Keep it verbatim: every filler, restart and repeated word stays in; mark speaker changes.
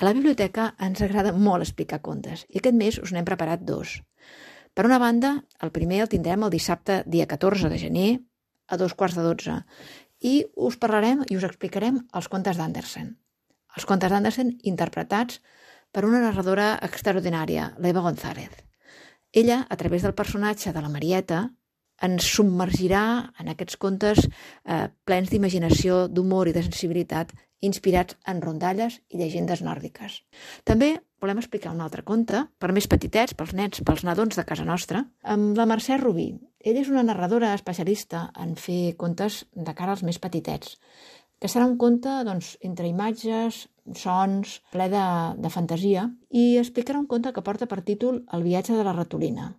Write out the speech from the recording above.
Speaker 1: A la biblioteca ens agrada molt explicar contes i aquest mes us n'hem preparat dos. Per una banda, el primer el tindrem el dissabte dia catorze de gener a dos quarts de dotze i us parlarem i us explicarem els contes d'Andersen. Els contes d'Andersen interpretats per una narradora extraordinària, l'Eva González. Ella, a través del personatge de la Marieta, ens submergirà en aquests contes eh, plens d'imaginació, d'humor i de sensibilitat, inspirats en rondalles i llegendes nòrdiques. També volem explicar un altre conte, per més petitets, pels nens, pels nadons de casa nostra, amb la Mercè Rubí. Ella és una narradora especialista en fer contes de cara als més petitets, que serà un conte doncs, entre imatges, sons, ple de, de fantasia, i explicarà un conte que porta per títol El viatge de la ratolina.